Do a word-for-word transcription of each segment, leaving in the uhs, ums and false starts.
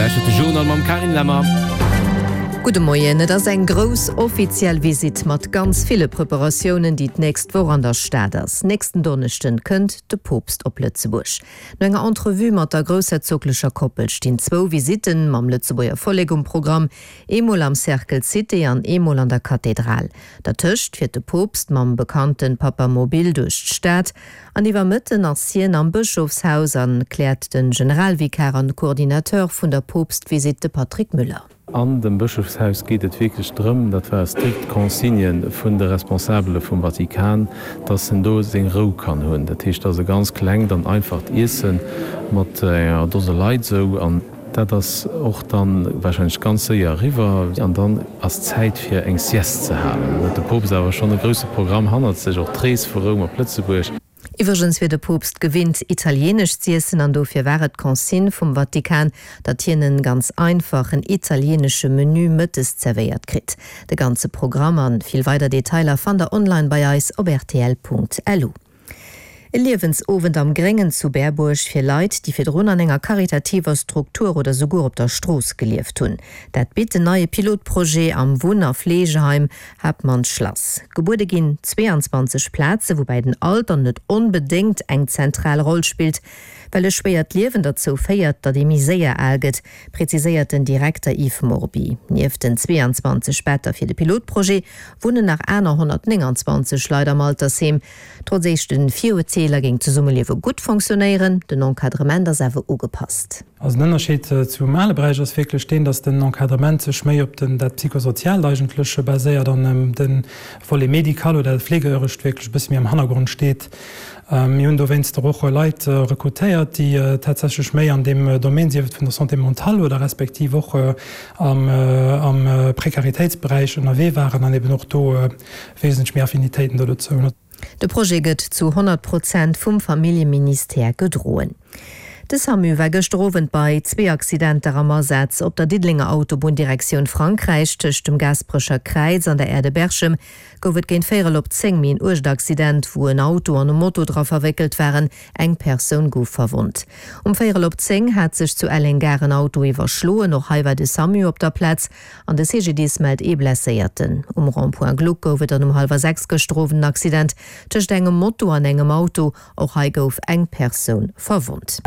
Dir lauschtert de Journal mam Carine Lemmer. Gudde Moien, Et ass eng grouss offiziell Visitt mat ganz ville Preparatiounen, déi d'nächst Woch an der Stad ass. Nächsten Donneschden kënnt de Poopst op Lëtzebuerg. No enger Entrevue mat der groussherzoglecher Koppel stinn zwou Visitte mam Lëtzebuerger Vollek um Programm, eemol am Cercle Cité an eemol an der Kathedral. Dertëscht fiert de Poopst mam bekannte Papamobil duerch d'Stad an iwwer Mëtten ass hien am Bëschofshaus, erkläert de Generalvikar an Coordinateur vun der Poopstvisitt, de Patrick Müller. An dem Bëschofshaus geet et wierklech drëm, dat war strikt Consigne vun de Responsabele vum Vatikan, dass en do seng Rou kann hunn. Dat heescht, dat ass e ganz klengt an einfacht Iessen mat enger Dose Leit esou. An dat ass och dann warscheinlech ganz séier eriwwer an dann ass Zäit fir eng Sieste ze halen. Huet de Poopst awer schonn e grousse Programm hannert sech, och d'Rees vu Roum op Lëtzebuerg. Iwwregens wier de Poopst gewinnt, italienesch z'iessen an dofir war et d'Consigne vum Vatikan, datt hien en ganz einfachen italienesche Menü mëttes zerwéiert kritt. De ganze Programm an vill weider Detailer fannt der online bei eis op rtl.lu. E Liewensowend am Gréngen zu Berbuerg fir Leit, déi virdrun an enger karitativer Struktur oder souguer op der Strooss gelieft hunn. Dat bitt en neie Pilotprojet am Wunn a Fleegeheim Haaptmannsschlass. Gebuede ginn zweeanzwanzeg Plaze, woubäi den Alter net onbedéngt eng zentral Roll spillt, well e schwéiert Liewen derzou féiert, datt ee méi séier al gëtt, preziséiert den Direkter Yves Morby. Nieft den zweeanzwanzeg Better fir de Pilotprojet wunnen nach aner honnertnénganzwanzeg Leit am Altersheem. Trotz éischte Virurteeler géing d'Zesummeliewe gutt fonctionnéieren, den Encadrement ass awer ugepasst. Also den Ënnerscheed zum ale Beräich ass wierklech deen, dass den Encadrement sech méi op den, dat Psychosoziaalt eigentlech baséiert an de Volet médical oder dat Fleegerescht wierklech e bësse méi am Hannergrond steet. Mir hunn dowéinster och Leit rekrutéiert, déi tatsächlech méi an deem Domaine, sief et vun der Santé mentale oder respektiv och am Prekaritéitsberäich ënnerwee waren an eben och do wesentlech méi Affinitéiten do dozou hunn. De Projet gëtt zu honnert Prozent vum Familljeministère gedroen. De Samu war gëschter Owend bei zwee Accidenter am Asaz op der Diddelenger Autobunn Direktioun Frankräich. Tëscht dem Gaasperecher Kräiz an der Aire de Berchem gouf et géint véierel op zéng méi en uergt Accident, wou en Auto an e Moto dra verwéckelt waren. Eng Persoun gouf verwonnt. Um véierel op zéng hat sech zu Elleng-Gare en Auto iwwerschloen. Och hei war de Samu op der Plaz an de C G D I S mellt ee Blesséierten. Um Rond-point Gluck gouf et dann um hallwer sechs gëschter Owend en Accident tëscht engem Moto an engem Auto. Och hei gouf eng Persoun verwonnt.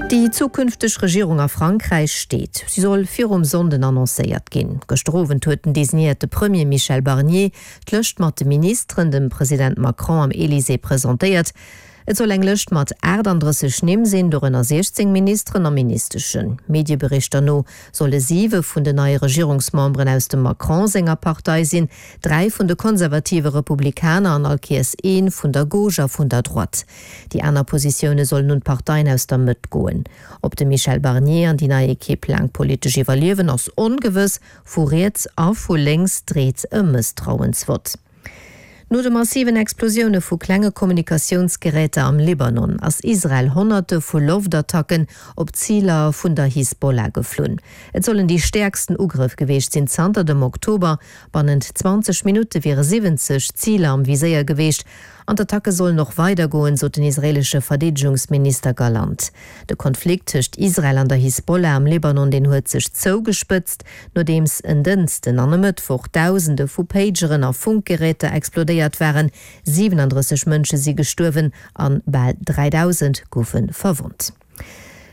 Déi zukünfteg Regierung a Frankräich steet. Si soll virum Sonnden annoncéiert ginn. Gëschter Owend huet den designéierte Premier Michel Barnier d'Lëscht mat de Ministeren dem President Macron am Elysée presentéiert. Et soll eng Lëscht mat achtandrësseg Nimm sinn, dorënner siechzéng Ministeren a Ministeschen. Medieberichter no solle siwe vun den neie Regierungsmemberen aus dem Macron senger Partei sinn, dräi vun de konservative Republikaner an all Kees ee vun der Gauche a vun der Droite. Déi aner Positioune sollen un d'Parteien aus der Mëtt goen. Ob de Michel Barnier an déi nei Ekipp laang politesch iwwerliewen, ass ongewëss. Vu riets a vu lénks dreet e Mësstrauensvott. No de massiven Explosioune vu klenge Kommunikatiounsgeräter am Libanon ass Israel Honnerte vu Loftattacken op Ziler vun der Hisbollah geflunn. Et sollen déi stäerksten Ugrëff geweecht sinn zanter dem Oktober. Bannent zwanzeg Minutte wiere siwwenzeg Ziler am Viséier geweecht an d'Attacke sollen och weidergoen, sot den israeelesche Verdeedegungsminister Gallant. De Konflikt tëscht Israel an der Hisbollah am Libanon, deen huet sech zougespëtzt, nodeems en Dënsten an e Mëttwoch Dausende vu Pageren a Funkgeräter explodéiert waren. siwenandrësseg Mënsche si gestuerwen an bal dräidausend goufe verwonnt.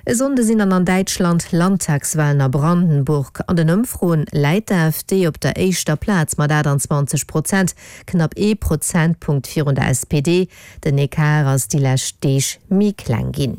E Sonnde sinn dann an Däitschland Landtagswalen a Brandenburg. An den Ëmfroen läit d'AfD op der éischter Plaz mat aachtanzwanzeg Prozent, knapp ee Prozentpunkt virun der S P D. Den Ecart ass déi lescht Deeg méi kleng ginn.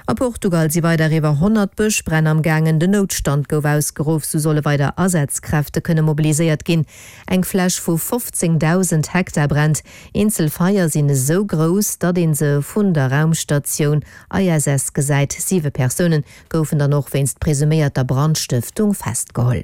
A Portugal si weider iwwer honnert Bëschbränn am gaangen. Den Noutstand gouf ausgeruff, sou solle weider Asazkräfte kënne mobiliséiert ginn. Eng Fläch vu fofzéngdausend Hektar brennt. Eenzel Feier sinn esou grouss, datt ee se vun der Raumstatioun I S S gesäit. Siwe Persoune goufen dann och wéinst presuméierter Brandstëftung festgeholl.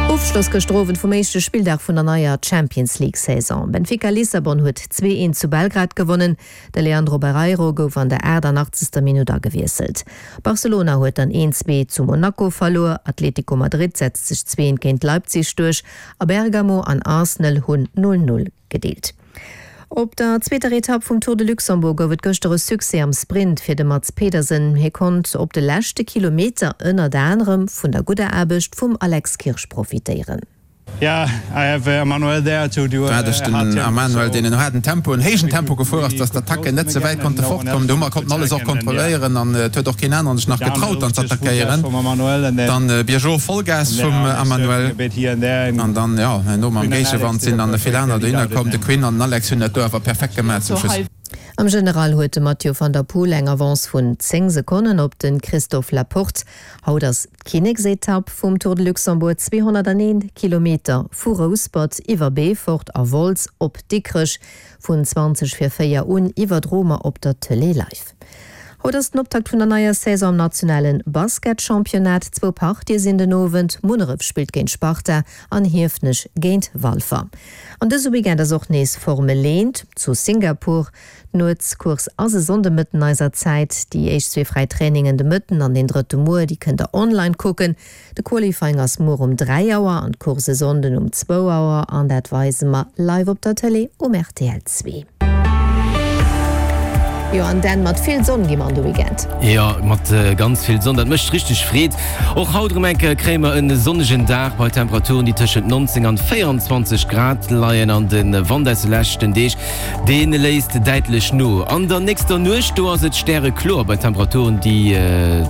Ofschloss gëschter Owend vum éischte Spilldag vun der neier Champions League Saison. Benfica Lissabon huet zwee eent zu Belgrad gewonnen. De Leandro Barreiro gouf an der aachtanachtzegster Minutt agewiesselt. Barcelona huet dann een zwee zu Monaco verluer. Atletico Madrid setzt sech zwee eent géint Leipzig duerch a Bergamo an Arsenal hunn null null gedeelt. Op der zweeter Etapp vum Tour de Luxembourg gouf et gëschter e Succès am Sprint fir de Mads Pedersen. Hie konnt op de leschte Kilometer ënnert anerem vun der gudder Aarbecht vum Alex Kirsch profitéieren. War duerch den Amanuel, deen en haarden Tempo, en héijen Tempo gefuer ass, dass d'Attacken net ze wäit konnte fortkommen. Do hu mer konnten alles och kontrolléieren an et huet och keen aneren sech nach getraut dann z'attackéieren. Dann biergof Vollgas vum Amanuel an dann, jo, herno mam Géigewand sinn dann vill aner dohinner komm. De Quinn an den Alex hunn dat do awer perfekt gemaach zum Schluss. Am General huet de Mathieu van der Poel eng Avance vun zéng Sekonnen op de Christophe Laporte. Haut ass d'Kinneksetapp vum Tour de Luxembourg, zweehonnertaneen Kilometer vu Rouspert iwwer Beefort a Wolz op Dikrech. Vun zwanzeg vir véier un iwwerdroe mer op der Tëlee live. Haut ass den Optakt vun der neier Saison am nationale Basketchampionnat. Zwou Partië sinn den Owend, Munneref spillt géint Sparta an Hiefenech géint Walfer. An dëse Weekend ass och nees Formel eent zu Singapur. D'Nuetscourse ass e Sonndemëtten eiser Zäit. Déi éischt zwee fräi Trainingen de Mëtten an deen drëtte muer, déi kënnt der online kucken. De Qualifying ass muer um dräi Auer an d'Course e Sonnden um zwou Auer an dat weise mer live op der Tëlee um rtl zwee. Jo, an Dan, mat vill Sonn gi mer an de Weekend. Jo, mat ganz vill Sonn, dat mécht richteg Freed. Och haut erëm eng Kéier kréie mer en sonnegen Dag bei Temperaturen, déi tëschent neunzéng an véierundzwanzeg Grad leien. An de Wand aus de leschten Deeg, dee léisst däitlech no. An der nächster Nuecht, do ass et stärekloer bei Temperaturen, déi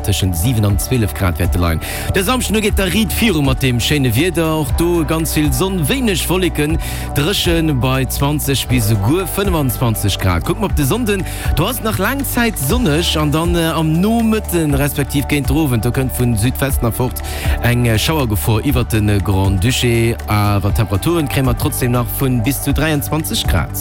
tëschent siwen an zwielef Grad wäerte leien. De Samschden, do geet da riit viru mat deem schéine Wieder. Och do ganz vill Sonn, wéineg Wolleken, dréchen bei zwanzeg bis esouguer fënnefanzwanzeg Grad. Kucke mer op de Sonnden, do ass et nach laang Zäit sonneg an dann am Nomëtten respektiv géint den Owend, do kënnt vu Südwesten erfort eng Schauergefor iwwert de Grand-Duché. Awer Temperaturen kréie mer trotzdeem nach vu bis zu dräianzwanzeg Grad.